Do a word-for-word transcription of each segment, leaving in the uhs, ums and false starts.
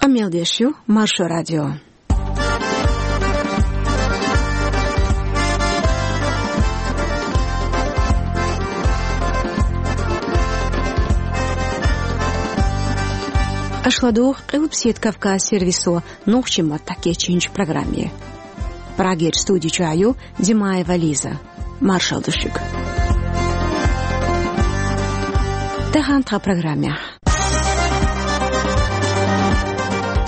Мел деш ю Маршо радио. Аша ладугӀу Къилбаседа Кавказ сервисо нохчийн маттахь кечйинчу программе. Прагерчу студи чохь ю Димаева Лиза. Маршалла ду шуьга. Тахана тхан программехь.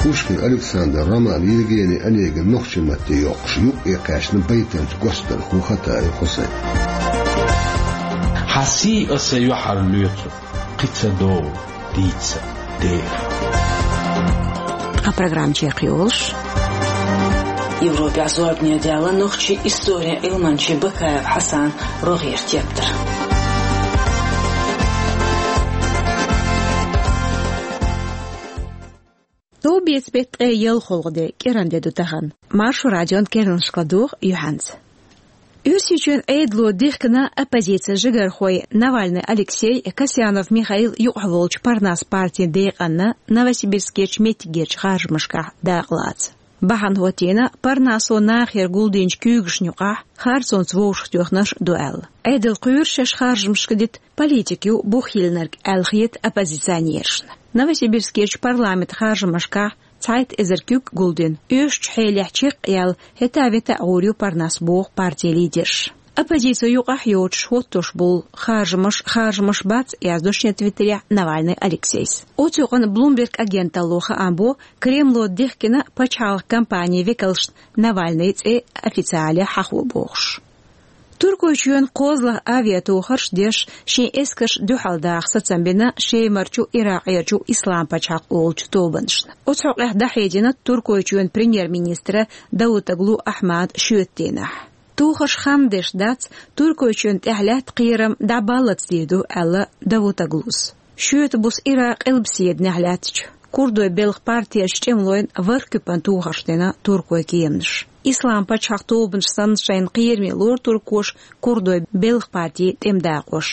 Пушкин Александр роман Евгений Онегин нохчийн матте йоккхуш юкъе кхаьчна байтанча гочдархо Хатаев Хьусайн. Хьан сий аса юьхьар лоьцу, кхин ца догӀу дийца дера. Тхан программа чекхйолуш. Европехь зорбане даьлла нохчийн историн Ӏилманчийн Бакаев Хьасанан рогӀера тептар. Товбеца беттан ткъе ялхолгӀа де, кӀиран де ду тахана. Маршо радион керланашка ладугӀу юьхьанца. Оьрсийчоьнан Ӏедало дихкина оппозицин жигархой Навальный Алексей, Касьянов Михаил юкъахь волчу Парнас партин декъанна Новосибирскерчу меттигерчу харжамашкахь дакъалаца. Бахьана хӀоттийна Парнасо нахера гулдинчу куьйгашна юкъахь харцонца вовшахтоьхнарш ду аьлла. Ӏедал кхоьру шаьш харжамашка дита политика ю бух йиллинарг аьлла хета оппозиционерашна. Новосибирскерчу парламентан харжамашкахь цхьайтта эзар куьг гулдина. Оьшучу хьелехь чекх а яьлла, хӀета-вета а гӀур ю Парнас боху партин лидерша. Оппозици юкъахь йоцуш хӀоттош болу харжамаш, харжамаш бац, яздо шен твиттерехь Навальный Алексейс. Оцу юкъана Bloomberg агенталло хаам бо, Кремло дихкина пачхьалкхан компанин векалшна Навальныйн цӀе официале хьахо бохуш. Туркойчоьнан кхозлагӀа авиатохарш деш, шен эскарш дуьхьал даха сацам бина Шемарчу, Иракъерчу Ислам пачхьалкх олучу тобанашна. Оцу хьокъехь дӀахьедина Туркойчоьнан премьер-министра Давутоглу Ахьмада шоьтан дийнахь. Тохарш хандеш дац, Туркойчоьнна тӀехь лаьтта кхерам дӀабаллалц дийр ду, аьлла Давутоглус. Шоьтан буса Иракъан къилбаседанехь лаьттачу курдойн белхан партешна тӀемалойн ворхӀ куьпан тохарш дина туркойн кеманаша. Ислам пачхьалкх тобанаш санна шайна кхераме лору туркоша курдойн белхан партин тӀеман дакъош.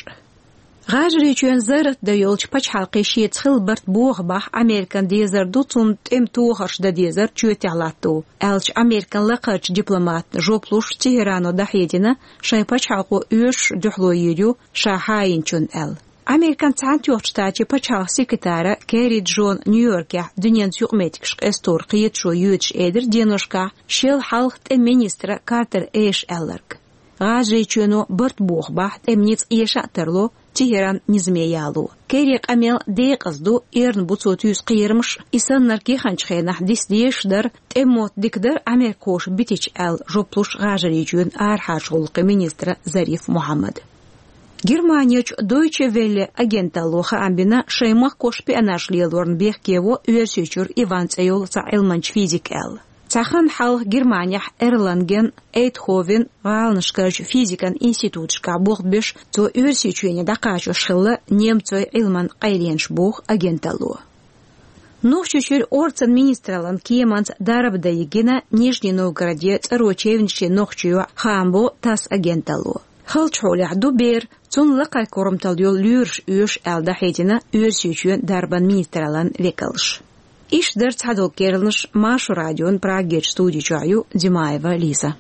ГӀажарийчоьнан зарратдан йолчу пачхьалкхе шеца хилла барт боху бахь Американ дезар ду, цунна тӀеман тохарш дан дезар чоьтехь латто, аьллачу Американ лакхарчу дипломатна жоп луш Тегерано дӀахьедина, шайн пачхьалкхо оьшуш дуьхьало йийр ю ша хьайинчунна аьлла. Американ Цхьаьнатоьхначу Штатийн пачхьалкхан секретара Керри Джона Нью-Йоркехь дуьненца юкъаметтигаш къестор кхеташо йоьдуш элира деношкахь шел хьалха тӀеман министра Картер Эша аьлларг. ГӀажарийчоьно барт боху бахь тӀеман ницкъ эша а тарло, Тегеран низаме яло. Керрин къамел декъаза ду, эрна бу цо туьйсу кхерамаш, и саннарг яханчу хенахь диса дезаш дара, тӀеман мотт дика дара америкахоша битича аьлла жоп луш ГӀажарийчоьнан арахьарчу гӀуллакхийн министра Зариф Мухьаммада. Германерчу Дойче Велле агенталло хаам бина, шайн махкахошна шпионаж лелорна бехке во Оьрсийчуьра Иван цӀе йолу цхьа Ӏилманча физик аьлла. Цхьа хан хьалха Германехь Эрланген, Эйтховен гӀаланашкарчу физикан институташкахь болх беш, цо Оьрсийчоьне дӀакхачош хилла немцойн Ӏилманан къайленаш боху агенталло. Нохчийчуьра орцан министраллан кеманца дарба дан йигина Нижний Новгороде ЦӀаро Чевнишин нохчийн йоӀ, хаам бо ТАСС агенталло. Халчахьолехь ду бер, цунна лакхара корматалла йолу лоьраш оьшу аьлла дӀахьедина Оьрсийчоьнан дарбан министраллан векалша. Иштта дара цхьадолу керланаш. Маршо радион Прагерчу студи чохь ю Димаева Лиза.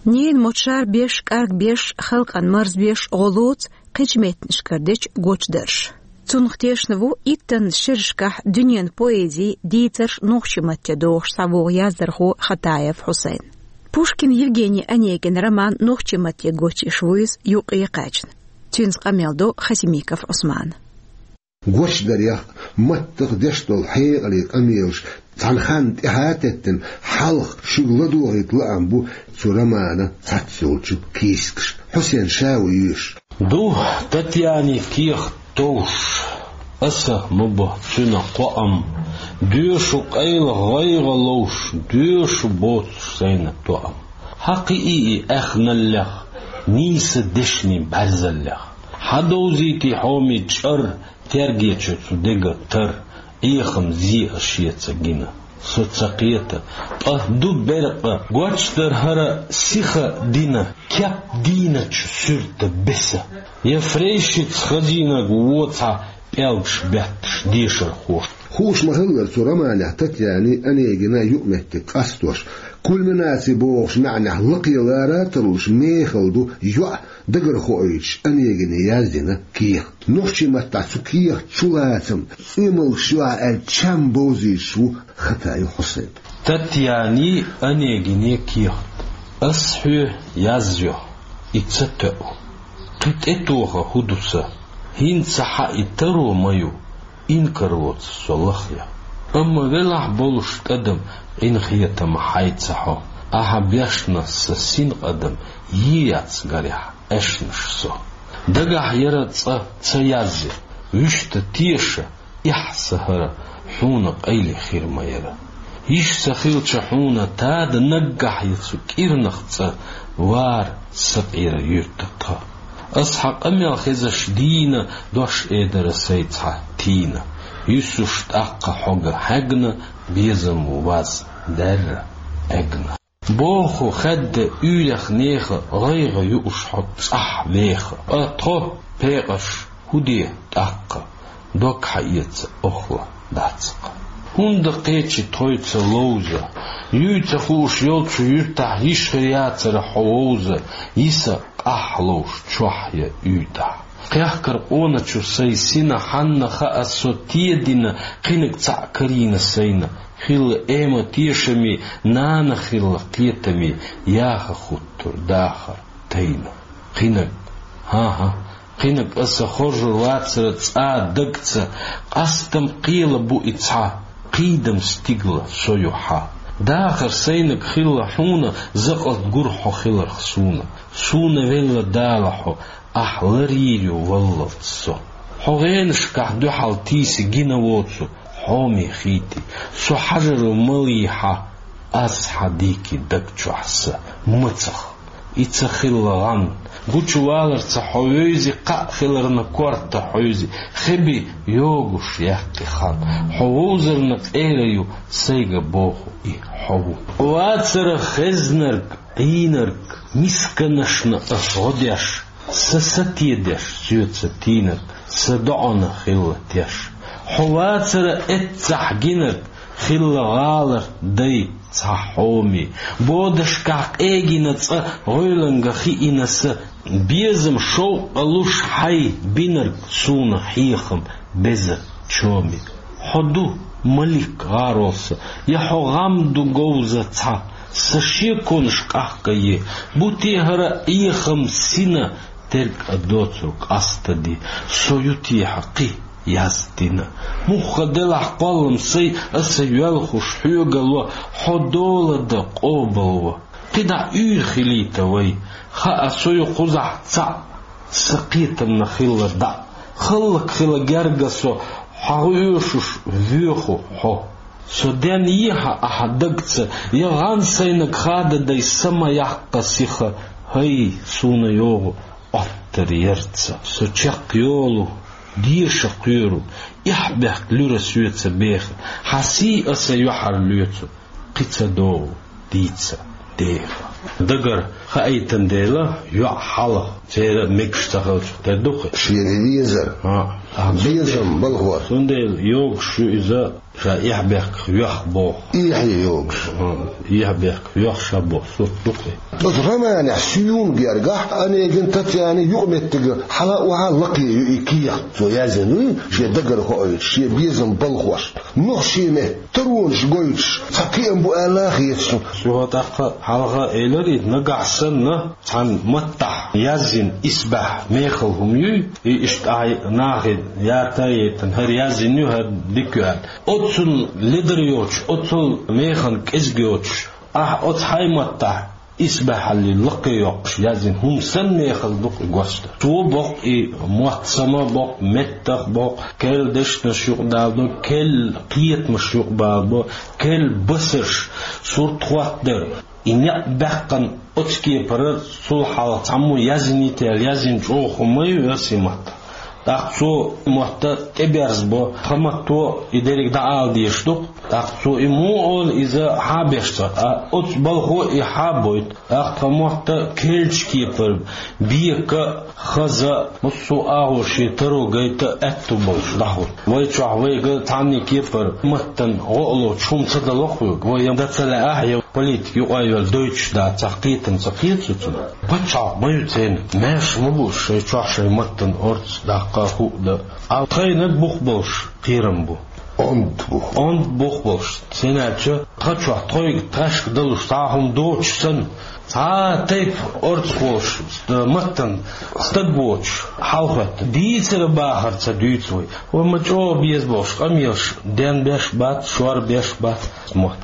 Ненан мотт шарбеш, кӀаргбеш, халкъан марзбеш гӀо лоцу кхечу меттанашкара дечу гочдарша. Цунах тешна ву иттанна шерашкахь дуьненан поэзин дийцарш нохчийн матте дохуш схьавогӀу яздархо Хатаев Хьусайн. Пушкин Евгений Онегинан роман нохчийн матте гочйеш ву иза юкъе кхаьчна. Цуьнца къамел до Хасимиков Ӏусмана. Гочдарех, маттах деш долу хьекъале къамелаш цхьана ханна тӀаьхьа а теттина, хьалха шуьга ладогӀийта лаам бу цу романан цхьацца йолчу кийсакаш. Хьусен ша ву йоьшуш. Ду Татьянин кехат товш, аса ма бо цуьнан кхоам, доьшу къайла гӀайгӀа ловш, доьшу боцуш сайна тоам. Хьан кхиий и аьхналлех, нийса дешнийн бӀаьрзаллех? Хьан довзийтий хьоме чӀар, тергечу цу дега тар, Ӏехам зе а шеца гина? Со ца кхета, ткъа ду беркъа, гочдар хӀара сиха дина, кеп дийначу суьрта беса. Я фрейшиц хазийнарг воцхьа пӀелгаш бетташ дешархоша. Хууш ма-хиллара, цу романехь Татьянин, Онегинан юкъаметтиг къастош, кульминаци бохучу маьӀнехь лакхе лара а тарлуш мехала ду йоӀ дагархоуьйтуш Онегине яздина кехат. Нохчийн маттахь цу кехат чулацам, цӀоьмалгаш ю аьлла чам бовзуьйтуш ву Хатаев Хьусайн. Татьянин, Онегинан кехат. Ас хьоьга язйо, и ца тоьу. Кхин тӀетоха хӀун ду сан? ХӀинца хьан и таро ма ю, инкарло ца со лахъян. Амма велахь болуш тӀадам, къинхетам хьайца хьо, ахьа бешна сан синкъадам, е яц гарехь Ӏешнаш со. Дагахь яра цкъа ца язъя, вуьшта теша, эхь сан хӀара, хьуна къайле хир ма яра. Йиш ца хилча хьуна тада наггахь я цу кӀирнах цӀа, вар сакъера юьрта тха. Ас хьан къамел хезаш дийна, дош эр дара сайца хьан тийна. Юьсуш тӀаккха хьога хьегна, безам ву ваз даьрра Ӏегна. Боху хадда уьйрех нехан гӀайгӀа юуш хьо цӀахь веха. Ткъа тхо, пекъаш, хӀун де тӀаккха? Дог хьаэца охла дац-кха. ХӀунда кхечи тхойца ловза? Юй ца хууш йолчу юьртахь йиш хир яцара хьо вовза, йиса къахь ловш чохь я уьйтӀахь. Кхехкар къоначу сайн сина хьанна хаьа со тедина, кхинаг цхьаъ карийна сайна. Хилла эма тешаме, нана хилла кхетаме, яха хуттур дахар тайна. Кхинаг, хӀан-хӀа, кхинаг аса хоржур вацара цӀа дагца, къастам кхела бу и цхьа, кхийдам стигла со ю хьан. Дахар сайнаг хилла хьуна, закъалт гур хьо хиларх суна. Суна велла Дала хьо, ахь ларйийр ю валлалц со. Хьо гӀенашкахь дуьхьал тийси гина воцу, хьоме хийти. Со хьажар ву малйи хьан, ас хьан дийки даг чохь сан мацах. И ца хилла гӀан, гучуваларца хьо вевзи, кхаъ хиларна корта хьуьйзи, хеби йогуш яьккхи хан. Хьо вовзарна къера ю, сайга боху и хьо ву. Вацара хезнарг, Ӏийнарг, мисканашна ас гӀо деш, са сатедеш соьца тийнарг, са доӀана хилла теш. Хьо вацара эццахь гинарг, хилла гӀаларх дай цхьа хьоме. Бодашкахь къегина цкъа гӀойланга хиъина са, безам шовкъа луш хьай бинарг суна хьехам беза чоме. Хьо ду, малик, гӀарол сан, я хьо гӀам ду говза цхьа, сан шеконаш къахкае, бу те хӀара Ӏехам сина, терг а доцург къастаде, со ю те хьан кхин яздина. Мухха делахь кхоллам сай, аса йоьлхуш хьоьга ло, хьо дола дан къобал во. КхидӀа уьйр хилийта вай, хаьа со ю кхузахь цхьаъ, сан кхетамна хилла дӀа. Халлак хила герга со, хьагӀ оьшуш воьху хьо. Со ден ехьа ахьа дагца, я гӀан сайнаг хада дай са ма яккха сиха, хӀай, суна йогӀу Ӏоттар ярца. Со чекх йолу, деша кхоьру, эхь-бехк луьра соьца беха, хьан сий аса юьхьар лоьцу, кхин ца догӀу дийца деха. Дагара хаийтан дела, йоӀ хьалха, церан мегаш ца хилча тера ду-кх. Шена везар. ХӀа. Безам балхор. Цундела йогуш ю иза, ша эхь-бехках йоьх боху. Эхь йогуш. ХӀа, эхь-бехках йоьх ша боху сурт ду-кх. Оцу романехь суна гергахь Онегин Татьянин юкъаметтига хьала а вахьа лакхе ю и кехат, цо яздина вуй, шен дагара хоуьйтуш, шен безам балхошна. Нохчийн меттан таронаш гойтуш, цхьа кхиам бу аьлла а хета суна. Цо тӀаккха хьалха элира и, нагахь санна, цхьана маттахь яздина исбаьхьа мехала хӀума юй, и иштта ахьа нахе ята а яйтина, хӀара яздина ю, хӀара дика ю аьлла. Оццул ледар йоцуш, оццул механа кӀезиг йоцуш, ахьа оцу хьайн маттахь исбаьхьаллий лакхе йоккхуш яздина хӀума санна мехала ду-кх и гочдар. Цо боккху и мотт сама боккху, меттах боккху, керла дешнаш юкъадалабо, керла кхетамаш юкъабалабо, керла басарш, сурт хӀоттадар. И некъ баьккхина оцу кепара цул хьалха цхьаммо яздинийта аьлла яздина чӀогӀа хӀума ма ю оцу маттахь. ТӀаккха цо мотт тӀеберзабо, тха матто и деррига дӀаала дезаш ду-кх. ТӀаккха цо и муха олу, иза хьа а беш ца, а оцу балхо и хьа а бойту. ТӀаккха тха мотт керлачу кепара, бека а, хаза а, массо а агӀор шен таро гайта а аьтту болуш дӀахӀутту. Вай чохь вайга цхьанне кепара маттана гӀо а лоцуш хӀума ца дало-кх вайга. Вай я дан ца лаахь, я политика юкъа а йолу дойтуш дац, цхьа кхетам ца кхета цунах. Пачхьалкх ма ю церан, маьрша ма бу шайн чохь шайн маттана орца даккха а, хӀуъа дан а. Тхайниг бух болуш кхерам бу. Онда бух. Онда бух болуш. ХӀунда аьлча тха чохь тхоьга тхаьшка далуш цхьа а хӀума доцуш санна, цхьа а тайпа орца волуш, ст-, маттана стаг воцуш хьалахӀоьттина. Дийцар а бахар а ца дуьйцу вай. Вай ма чӀогӀа беза болуш къамелаш денбеш а бац, шорбеш а бац мотт.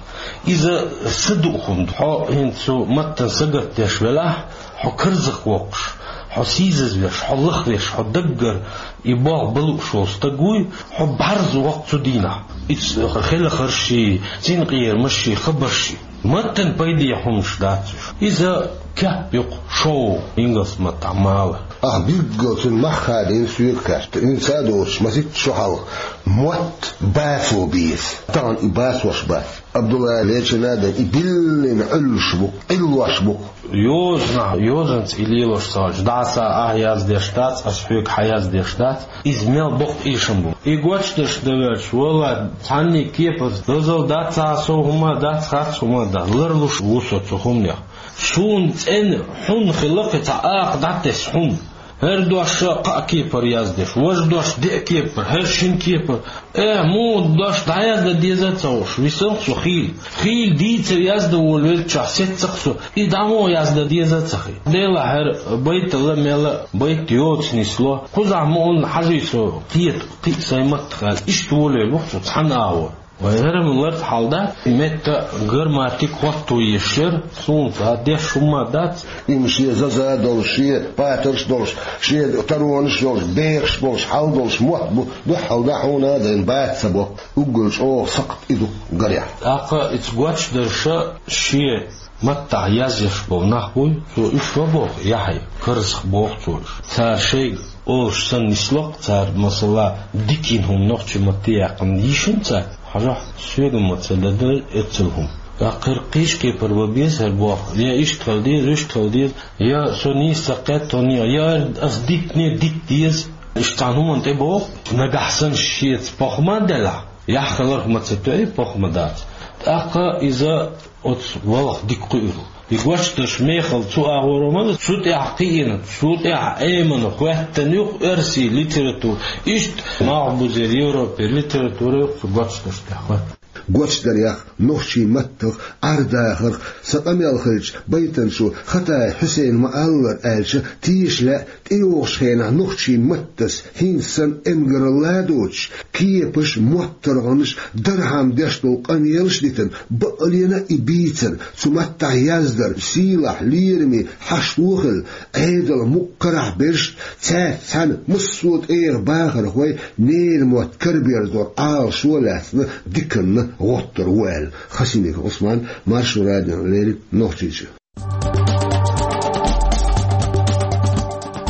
Иза са дуу хӀума ду. Хьо хӀинца цу маттана сагатдеш велахь, хьо карзах воккхуш, хьо сийсазвеш, хьо лахвеш, хьо даггара и болх бан лууш волу стаг вуй, хьо бӀарза воккху цу дийнахь. Иза хелхарш а, цуьнан къерамаш а, хабарш а. Маттана пайде хӀуманаш дац уьш. Иза кеп ю-кх, шоу, ингалс маттахь мала. Ахь билггал цуьнан мах хадийна соьга хаьттича, хӀинца а доцуш, масийтта шо хьалха, мотт бацо беза. Тахана и бацош бац. Абдулла лечина а дан, и биллина Ӏуьллуш бу-кх, Ӏиллош бу-кх. Йозанах, йозанца и лелош ца хилча, дӀа аса ахь яздеш дац, ас хьоьга хьан яздеш дац, иза мел боккха эшам бу. И гочдарш дан ваьлча, валлахӀи, цхьанне кепара дозалла дац, цхьа а сов хӀума дац, харц хӀума дац, ларлуш ву со цу хӀуманех. Суна цӀена хьун хилла кхин цхьа акха дӀатесна хьун. ХӀара дош кхаа кепара яздеш, важа дош деа кепара, хӀара шина кепара. Э, муха дош дӀаяздан деза а ца хууш, висанах со хийла. Хийла дийцар яздан волавеллачохь сеццах со, и дӀа муха яздан деза а ца хи. Делахь хӀара байталла мелла байт йоцу нисло, кхузахь муха хьажий со, кхета кхин а сайн маттах аьлла, иштта волавелла ву-кх со цхьана агӀор. Вай хӀара-м ларца хьал дац, метта грамматика хӀотто еш яра, суна цхьа деш хӀумма дац. Имма шен заза а долуш, шен патарш а долуш, шен таронаш а йолуш, бехаш а болуш, хьал долуш мотт бу, дуьххьал дӀа хьуна а дайна бац ца бо, уггар чӀогӀа сакхт и ду гарехь. ТӀаккха иза гочдарша шен маттахь язъеш болу нах буй, цо уьш ма боху, яхье, карзах боху цо уьш. Цара шайга олуш санна нисло-кх, цара, масала, дика йина хӀума нохчийн матте яьккхина йиш йина цара, хьажахь, соьга ма ца дан дара эццал хӀума. ТӀаккха хӀара кхечу кепара бан беза хӀара болх, я иштта хила деза, иштта хила деза, я со нийса ца кхетта хӀун, я ас дитине дита деза. Иштта цхьана хӀуманна тӀе боху, нагахь санна шеца похӀма а делахь, яхь хиларх ма ца тоьий, похӀма дац. ТӀаккха иза оцу валах дика кхуьур ву. И гочдарш мехала цу агӀоро ма ду, цу тӀехь кхиъна, цу тӀехь Ӏемина хӀоьттина ю-кх оьрсийн литература. Иштта малхбузера, Европера литература ю-кх цу гочдарш тӀехь хӀоьттина. Гочдарех, нохчийн маттах, Ӏер-дахарх сан къамел хилча, байтанчо Хатаев Хьусейна ма-аллара аьлча, теша лаьа, тӀейогӀучу хенахь нохчийн маттас хӀинца санна эмгаралла а доцуш, кепаш а, моттаргӀанаш а дархьама деш долу къамелаш а дитина, бакъалена а и бийцина, цу маттахь яздар сийлахь, лераме, хьашто а хилла, Ӏедалан мукъа карахь берш а, цаьрца цхьаьна массо а тӀегӀан бахархой ненан мотт караберзоран Ӏалашо а лаьцна диканна гӀоттур ву аьлла. Хасимиков Ӏусман, Маршо радиона леррина, Нохчийчоь.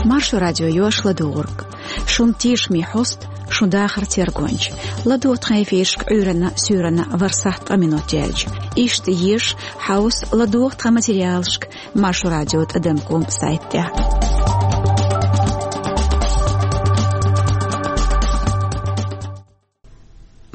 Маршо радио ю аш ладугӀург. Шун тешаме хьоста, шун дахар тергонча. ЛадогӀа тхан эфирашка Ӏуьйранна, суьйранна ворхӀ сахьт ткъа минот яьлча. Иштта еша, хьовса, ладогӀа тхан материалашка Маршо радио тӀадам ком сайта тӀехь.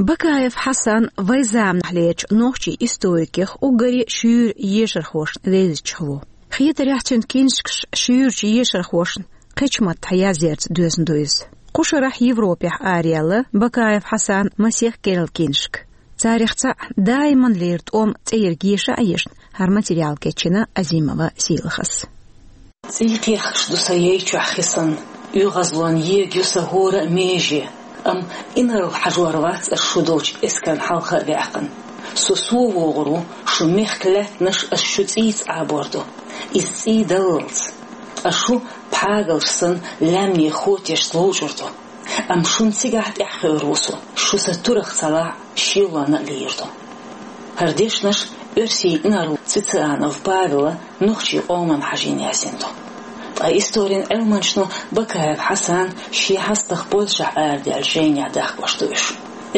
Бакаев Хьасан вайн заманахьлерчу нохчийн историкех уггаре шуьйра ешархошна вевзачех ву. Хетарехь, цуьнан киншкаш шуьйрачу ешархошна кхечу маттахь язъярца доьзна ду иза. Кху шарахь Европехь араяьлла Бакаев Хьасанан масех керла киншка. Царех цхьаъ «Даиман лерина тӀом» цӀе ерг еша а ешна, хӀара материал кечйина Азимова Сийлахьас. ЦӀий кхехкаш ду сан яй чохь хи санна, оьгӀазлонан ерг ю сан хӀора а меже, амма инарла хьажор вац ас шу долчу эскарна хьалха а ваьккхина. Со сов вогӀур ву, шун мехкан лаьттанаш ас шун цӀийца Ӏабор ду. Иза цӀий даллалц. Ткъа шу пхьагалш санна лаьмнийн хотешца ловчӀур ду. Амма шуна цигахь тӀаьхьахьуьйр ву со, шу сан турах ца лахь, шелонна а лийр ду. ХӀара дешнаш оьрсийн инарла Цицеранов Павела нохчийн къоман хьажийна яздина ду. Ткъа историн Ӏилманчо Бакаев Хьасан шен хьастагӀа Польшехь арадаьллача жайнехь дехкош ду уьш.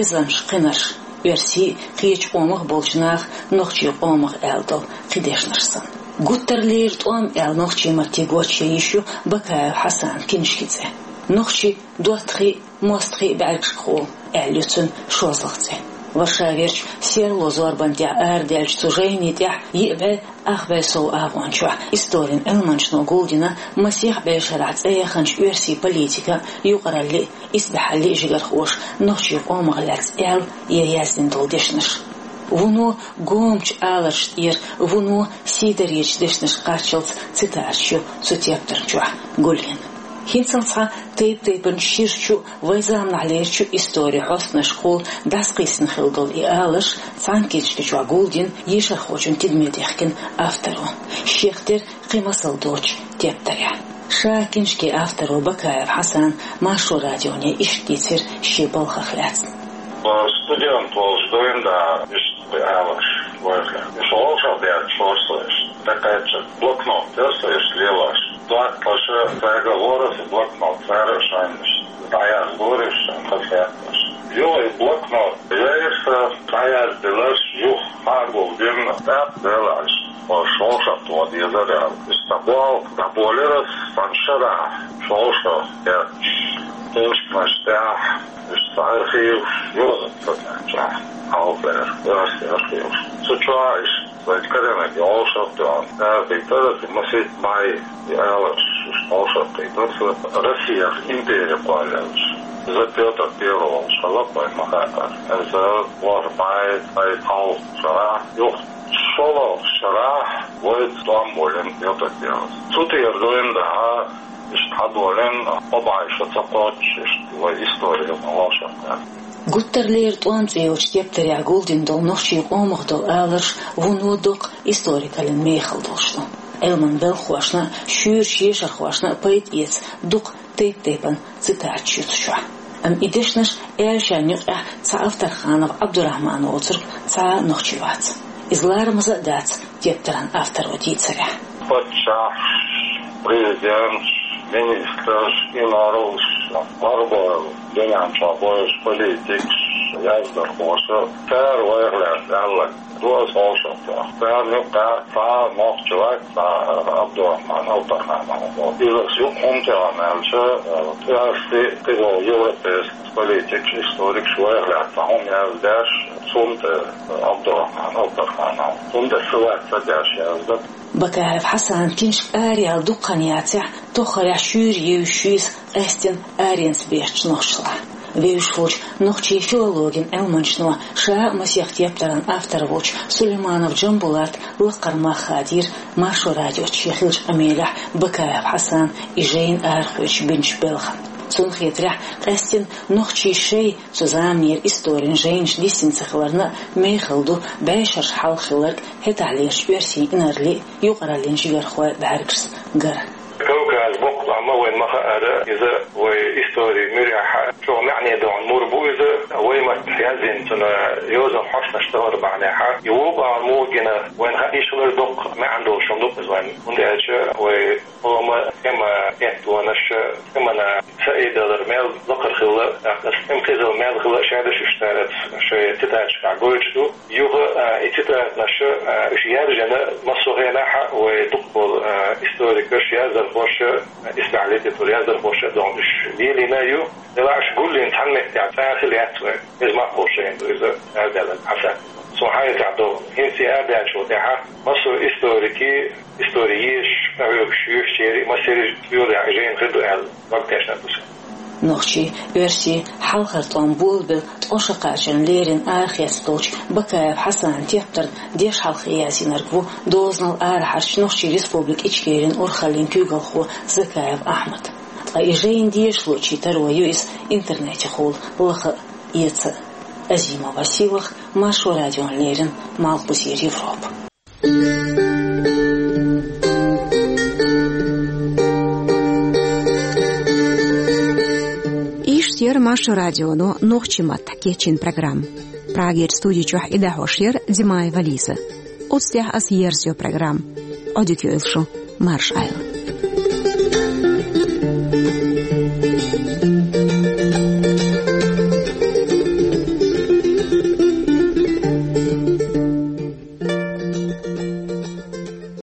Эзарнаш кхинарш, оьрсий а, кхечу къомах болчу наха нохчийн къомах аьлла долу кхин дешнаш санна. «Гуттар лерина тӀом» аьлла нохчийн матте гочйийр ю Бакаев Хьасанан киншкин цӀе. «Нохчийн доттагӀий а, мостагӀий а бӀаьргашкахула» аьлла ю цуьнан шозлагӀа цӀе. Варшаверчу «Серло» зорбан тӀехь арадаьллачу цу жайни тӀехь йиъ бӀе ах бӀе сов агӀончохь историн Ӏилманчо гулдина масех бӀешарахь цӀе яханчу оьрсийн политикан а, юкъараллин а, исбаьхьаллин а жигархоша нохчийн къомах лаьцна аьлла я яздина долу дешнаш. Вуно гомачу аларш тӀера, вуно сийдаречу дешнаш кхаччалц цитаташ ю цу тептар чохь гулйина. ХӀинццалц цхьа тайп-тайпанчу ширачу а, вайн заманахь лерачу а историн хьостанашкахула дӀасакхийсина хилла долу и аларш цхьана киншка чохь гулдина ешархочун тидаме дихкина авторо, шех тера кхин масал доцучу тептарехь. Ша киншкин авторо Бакаев Хьасана Маршо радионе иштта дийцира шен балхах лаьцна. Студент волуш дуьйна да, иштта аларш вайхьа. Иштта вовшах бетташ хьоьжуш со иштта. ТӀекхаьчча блокнот тера со иштта лелош. ДоттагӀаша цаьрга лоруш и блокнот, цара шайнаш дӀаяздора, шайн хазахетарш. Юха и блокнот яйра сан, дӀаяздинарш юха хьагулдина, тӀаккха делахь, ош вовшах тоха дезара аьлла. Иштта болх дӀаболийра сан шарахь, вовшах бетташ. Киншканаш тӀехь, иштта архиваш, юха ца тӀаьхьа, хьалхара, оьрсийн архиваш. Цу чохь иштта вайн карийнарг вовшах тоьхна, цара кхийтира, масийтта бӀе и аларш, уьш вовшах кхийтира, Россех импери кхоллаелча. Иза Пётр Первый волуш хилла вайн ма хаьара. Иза ворхӀ бӀе, бӀе кхоалгӀа шарахь, юха шолгӀа шарахь вайца тӀом болийна Пётр Первый. Цу тӀера дуьйна да, иштта хьадолийна, кхо бӀе шо ца кхоччуш, иштта вайн истори ма вовшах кхаьчна. «Гуттар лерина тӀом» цӀе йолчу тептарехь гулдина долу нохчийн къомах долу аларш вуно доккха историкаллин мехала долуш ду. Ӏилманан белхахошна а, шуьйрачу ешархошна а пайда эца дукха тайп-тайпана цитаташ ю цу чохь. Амма и дешнаш аьллачарна юкъахь цхьа Авторханов Ӏабдурахьман воцург цхьа а нохчи вац. Иза ларамаза а дац тептаран авторо дийцарехь. Паччахьаш, президенташ, министраш, инарлаш, марбойл дуьнен чохь болуш политикаш, яздархоша, цара вайх лаьцна аьлларг ду аса вовшах тоьхна. Царна юкъахь цхьа нохчи вац, цхьа Ӏабдурахьман Авторханов. Иза юкъа хӀунда тӀе ван аьлча, оьрсий, тӀедогӀу европейский политикаш, историкаш вайх лаьцна цхьа хӀума яздеш, цунна тӀе Ӏабдурахьман Авторханов, цунна тӀе сан лаьцна ца деш яздина. Бакаев Хьасанан киншка араяьлла дукха хан яцахь, тоххарехь шуьйра евзаш ю иза къаьсттина аренца бехачу нохчашлахь. Вевзаш волчу нохчийн филологин Ӏилманчо, ша а масех тептаран автор волчу Сулейманов Джамбулата лакхара мах хадийра Маршо радиоца шен хиллачу къамелехь Бакаев Хьасана и жайна арахоьцуш бинчу белхан. Цунна хетарехь, къаьсттина нохчийн шайн цу заманера историн жайнаш дисина ца хиларна а мехала ду бӀешераш хьалха хилларг хӀетахьлерчу оьрсийн инарлийн а, юкъараллин жигархойн а бӀаьргашца гар. Кавказ боккха тӀом а вайна ма хаьара, иза вайн историн муьрехь чӀогӀа маьӀне долу мур бу иза, вайн маттахь яздина цуьнан йозанан хьостанаш тахана бахьанехь. И вукху тӀом муха гина вайна хаа йиш хилар доккха маьӀна долуш хӀума ду иза вайна, хӀунда аьлча вайн къоман тӀеман хӀоттонаш, тӀеман саидалар мел лакхара хилла, тӀаккха аса тӀеман хезал мел хилла шадерш уьш цара шайн цитаташкахь гойтуш ду. Юха, а, и цитаташ, а, уьш яржийна массо а хенахь а вайн дукхахболу, а, историкаш, яздархоша, а, исбаьхьа литературан яздархоша а дохуш уьш лелийна а ю. Делахь уьш гулйина цхьана меттехь цхьа а хилла яц вайн. Иза мах болуш шайна ду иза, аьрдаьлларг Хьасан. Суна хьайца догӀу, хӀинца и арадаьллачул тӀаьхьа массо а историкийн, истори езаш, къахьоьгуш юьйцучеран а, массеран а юьхь-юьхь жайна хир ду аьлла, дог тешна ду сан. Нохчийн, оьрсийн хьалхара тӀом болабелла ткъо шо кхачарна леррина арахецна долчу Бакаев Хьасанан тептарна дешхьалхе яздинарг ву дозанал арахьарчу Нохчийн Республика Ичкерин урхаллин куьйгалхо Закаев Ахьмад. Ткъа и жайна дешало чу таро ю иза интернетехула лаха а, эца а. Азима Василах, Маршо радиона леррина, Малхбузера Европа. Иштта яра Маршо радионо нохчийн маттахь кечйина программа. Прагера студи чохь и дӀахьош яра Димаева Лиза. Оцу тӀехь аса ерзайо программа. Ӏодика йойла шун, марша Ӏайла.